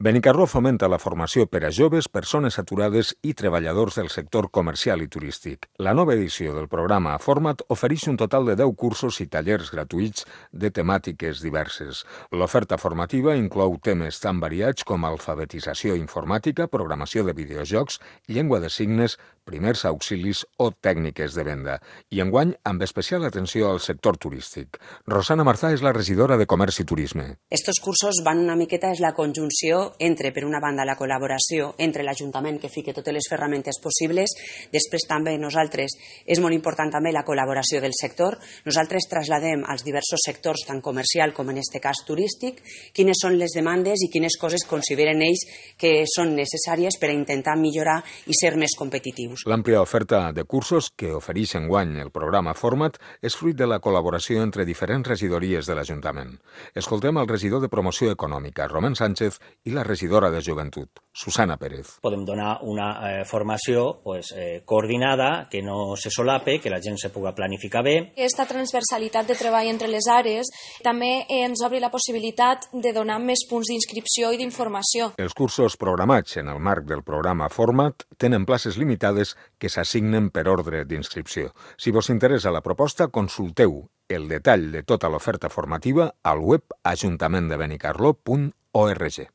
Benicarló fomenta la formació per a joves, persones aturades i treballadors del sector comercial i turístic. La nova edició del programa Format ofereix un total de 10 cursos i tallers gratuïts de temàtiques diverses. L'oferta formativa inclou temes tan variats com alfabetització informàtica, programació de videojocs, llengua de signes, primers auxilis o tècniques de venda. I enguany, amb especial atenció al sector turístic. Rosana Marzà és la regidora de Comerç i Turisme. Estos cursos van una miqueta, és la conjunció entre, per una banda, la col·laboració entre l'Ajuntament, que fique totes les ferramentes possibles. Després també nosaltres, és molt important també la col·laboració del sector. Nosaltres trasladem als diversos sectors, tant comercial com en este cas turístic, quines són les demandes i quines coses consideren ells que són necessàries per a intentar millorar i ser més competitius. L'àmplia oferta de cursos que ofereix enguany el programa Format és fruit de la col·laboració entre diferents regidories de l'Ajuntament. Escoltem el regidor de Promoció Econòmica, Román Sánchez, i la regidora de Joventut, Susana Pérez. Podem donar una formació coordinada, que no se solape, que la gent se puga planificar bé. Aquesta transversalitat de treball entre les àrees també ens obre la possibilitat de donar més punts d'inscripció i d'informació. Els cursos programats en el marc del programa Format tenen places limitades que s'assignen per ordre d'inscripció. Si vos interessa la proposta, consulteu el detall de tota l'oferta formativa al web ajuntamendebenicarló.org.